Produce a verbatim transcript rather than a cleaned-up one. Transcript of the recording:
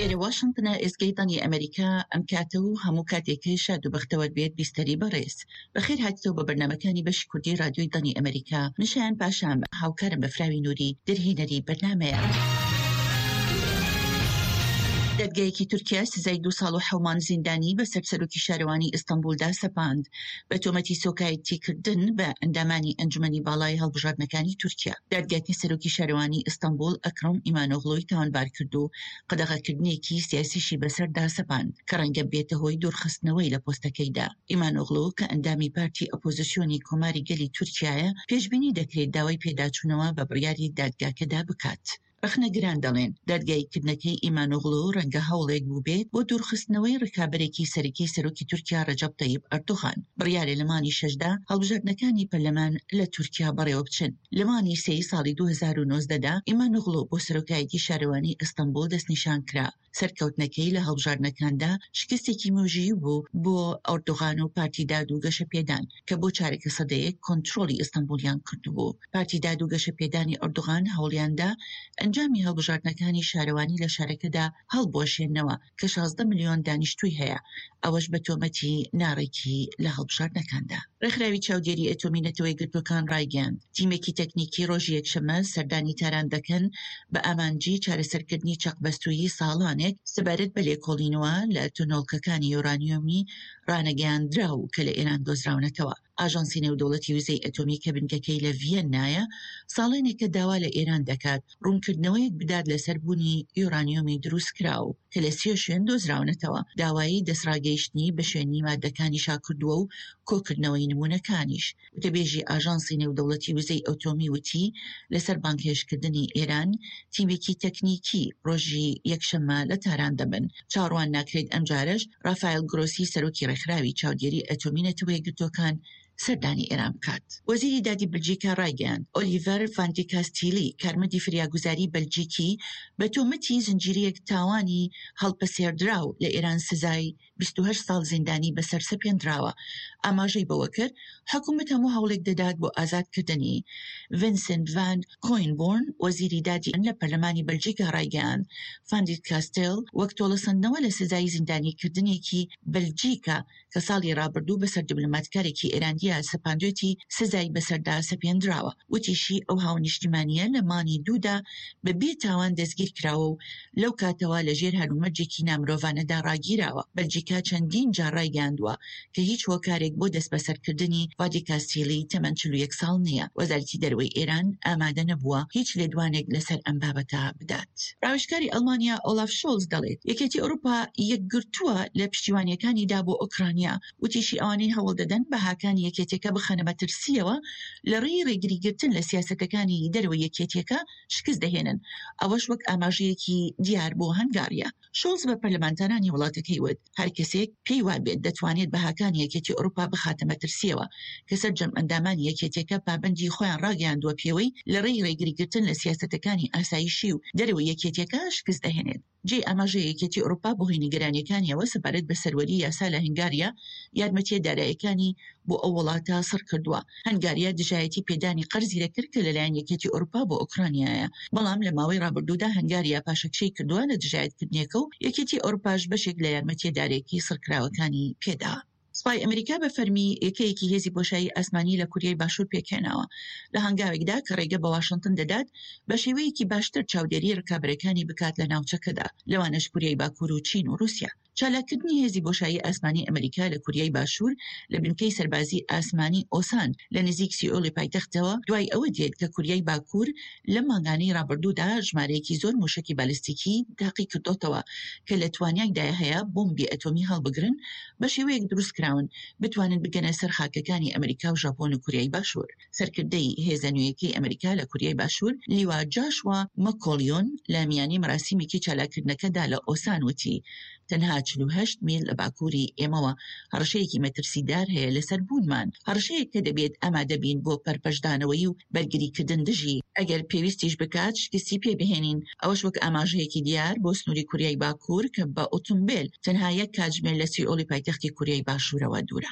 ئێرە واشنتنە، ئێزگەی دەنگی ئەمەریکا. ئەم کاتە و هەموو کاتێکەی شاد و بەختەوەر بێت بیستەری بەڕێز. بەخێر هاتیتەوە بە بەرنامەکانی بەشی کوردی رادیۆی دەنگی ئەمەریکا. من شایان پاشام، هاوکارم بەفراوی نوری دەرهێنەری بەرنامەیە. دادگایەکی تورکیا سزای دوو ساڵ و حەوت مانگ زیندانی بەسەر سەرۆکی شارەوانی ئیستەنبولدا سەپاند بە تۆمەتی سوکایەتیکردن بە ئەندامانی ئەنجومەنی باڵای هەڵبژاردنەکانی تورکیا. دادگاکە سەرۆکی شارەوانی ئیستەنبول ئەکرەم ئیمانۆغلۆی تاوانبار کرد و قەدەغەکردنێکی سیاسیشی بەسەردا سەپاند کە ڕەنگە بێتە هۆی دوورخستنەوەی لە پۆستەکەیدا. ئیمانۆغلۆ کە ئەندامی پارتی ئۆپۆزیسیۆنی کۆماری گەلی تورکیایە، پێشبینی دەکرێت داوای پێداچوونەوە بە بڕیاری دادگاکەدا بکات. ڕەخنەگران دەڵێن دادگاییکردنەکەی ئیمانۆغلۆ ڕەنگە هەوڵێک بووبێت بۆ دوورخستنەوەی ڕکابەرێکی سەرەکی سەرۆکی تورکیا ڕەجەب تەیب ئەردۆغان. بڕیارە لە مانگی شەشدا هەڵبژاردنەکانی پەرلەمان لە تورکیا بەڕێوەبچن. لە مانگی سێی ساڵی دوو هەزار و نۆزدە دا ئیمانۆغلۆ بۆ سەرۆکایەتی شارەوانی ئیستەنبوڵ دەستنیشان کرا. سەرکەوتنەکەی لە هەڵبژاردنەکاندا شکستێکی مێژوویی بوو بۆ ئەردۆغان و پارتی داد و گەشەپێدان کە بۆ چارەکە سەدەیەک کۆنترۆڵی ئیستەنبوڵیان کردبوو. پارتی داد و گەشەپێدانی ئەردۆغان هەوڵیاندا ئەنجامی هەڵبژاردنەکانی شارەوانی لە شارەکەدا هەڵبوەشێنەوە کە شازدە ملیۆن دانیشتووی هەیە، ئەوەش بە تۆمەتی ناڕێکی لە هەڵبژاردنەکاندا. ڕێکخراوی چاودێری ئەتۆمی نەتەوە یەکگرتووەکان ڕایگەیاند، تیمێکی تەکنیکی ڕۆژی یەکشەممە سەردانی تاران دەکەن بە ئامانجی چارەسەرکردنی چەقبەستوویی ساڵانێک سەبارەت بە لێکۆڵینەوە لە تونۆڵکەکانی یۆرانیۆمی ڕانەگەیاندراو کە لە ئێران دۆزراونەتەوە. ئاژانسی نێودەوڵەتی وزەی ئەتۆمی کە بنکەکەی لە ڤیەننایە، ساڵانێکە داوا لە ئێران دەکات ڕوونکردنەوەیەک بدات لەسەر بوونی یۆرانیۆمی دروستکراو کە لە سێ شوێن دۆزراونەتەوە. داوای دەستڕاگەیشتنی بە شوێنی مادەکانیشا کردووە و کۆکردنەوەی نمونەکانیش. وتەبێژی ئاژانسی نێودەوڵەتی وزەی ئەتۆمی وتی لەسەر بانگهێشتکردنی ئێران تیمێکی تەکنیکی ڕۆژی یەکشەممە لە تاران دەبن. چاوەڕوان ناکرێت ئەمجارەش ڕافایل گرۆسی سەرۆکی ڕێکخراوی چاودێری ئەتۆمی نەتەوە یەکگرتووەکان سەردانی ئێران بکات. وەزیری دادی بەلجیکا ڕایگەیاند، ئۆلیڤەر ڤاندیکاستیلی کارمەندی فریاگوزاری بەلجیکی بە تۆمەتی زنجیرەیەک تاوانی هەڵپەسێردراو لە ئێران سزای بیست و هەشت ساڵ زیندانی بەسەر سەپێندراوە. ئاماژەی بەوە کرد، حکومەت هەموو هەوڵێک دەدات بۆ ئازادکردنی. ڤینسنت ڤان کۆینبۆرن وەزیری دادی لە پەرلەمانی بەلجیکا ڕایگەیاند، ڤاندیکاستێل وەک تۆڵەسەندنەوە لە سزای زیندانیکردنێکی بەلجیکا کە ساڵی ڕابردوو بەسەر دیبلۆماتکارێکی ئێرانیدا سەپاندوێتی سزای بەسەردا سەپێندراوە. وتیشی ئەو هاونیشتیمانییە لە مانگی دوودا بە بێ تاوان دەستگیر کراوە و لەو کاتەوە لەژێر هەلومەرجێکی نامرۆڤانەدا ڕاگیراوە. بەلجیکا چەندین جار ڕایگەیاندووە کە هیچ هۆکارێک بۆ دەستبەسەرکردنی ڤادیکاستیلی تەمەن چل و یەک ساڵ نییە. وەزارەتی دەرەوەی ئێران ئامادە نەبووە هیچ لێدوانێک لەسەر ئەم بابەتە بدات. ڕاوێژکاری ئەڵمانیا ئۆلاف شۆڵز دەڵێت یەکێتی ئەوروپا یەکگرتووە لە پشتیوانیەکانیدا بۆ ئۆکرانیا. وتیشی ئەوانەی هەوڵ دەدەن بەهاکانی یەکێتیەکە بخەنە مەترسیەوە لە ڕێی ڕێگریگرتن لە سیاسەتەکانی دەرەوەی یەکێتیەکە شکست دەهێنن، ئەوەش وەک ئاماژەیەکی دیار بۆ هەنگاریا. شۆڵز بە پەرلەمانتارانی وڵاتەکەی وت هەر کەسێک پێی وابێت دەتوانێت بەهاکانی یەکێتی ئەوروپا بخاتە مەترسیەوە کە سەرجەم ئەندامانی یەکێتیەکە پابەندی خۆیان ڕاگەیاندووە پێوەی لە ڕێی ڕێگریگرتن لە سیاسەتەکانی ئاسایشی و دەرەوەی یەکێتیەکە شکست دەهێنێت. جێی ئاماژەیە یەکێتی ئەوروپا بەهۆی نیگەرانیەکانیەوە سەبارەت بە سەروەری یاسا لە هەنگاریا یارمەتیە داراییەکانی بۆ ئەو وڵاتە سڕ کردووە. هەنگاریا دژایەتی پێدانی قەرزی دەکرد کە لەلایەن یەکێتی ئەوروپا بۆ ئۆکرانیایە، بەڵام لە ماوەی ڕابردوودا هەنگاریا پاشەکشەی کردووە لە دژایەتکردنەکە و یەکێتی ئەوروپاش بەشێک لە یارمەتیە داراییەکی سڕکراوەکانی پێدا. سوپای ئەمریکا بە فەرمی یەکەیەکی هێزی بۆشایی ئاسمانی لە کوریای باشوور پێکهێناوە، لە هەنگاوێکدا کە ڕێگە بە واشنتن دەدات بە شێوەیەکی باشتر چاودێری ڕکابەرەکانی بکات لە ناوچەکەدا، لەوانەش کوریای باکوور و چین و ڕووسیا. چالاککردنی هێزی بۆشایی ئاسمانی ئەمریکا لە کوریای باشوور لە بنکەی سەربازی ئاسمانی ئۆسان لە نزیک سیئۆلی پایتەختەوە دوای ئەوە دێت کە کوریای باکوور لەم مانگانەی ڕابردوودا ژمارەیەکی زۆر موشەکی بالستیکی تاقی کردۆتەوە کە لە توانایدا هەیە بۆمبی ئەتۆمی هەڵبگرن بە شێوەیەک دروست کراون بتوانن بگەنە سەر خاکەکانی ئەمریکا و ژاپۆن و کوریای باشوور. سەرکردەی هێزە نوێیەکەی ئەمریکا لە کوریای باشوور لیوا جاشوا مەکۆلیۆن لە میانی مەراسیمێکی چالاککردنەکەدا لە ئۆسان وتی تەنها چل و هەشت میل لە باکووری ئێمەوە هەڕەشەیەکی مەترسیدار هەیە لەسەر بوونمان، هەڕەشەیەک کە دەبێت ئامادە بین بۆ پەرپەشدانەوەی و بەرگریکردن دژی، ئەگەر پێویستیش بکات شکستی پێ بهێنین، ئەوەش وەک ئاماژەیەکی دیار بۆ سنووری کوریای باکوور کە بە ئۆتۆمبێل تەنها یەک کاتژمێر لە سیئۆلی پایتەختی کوریای باشوورەوە دوورە.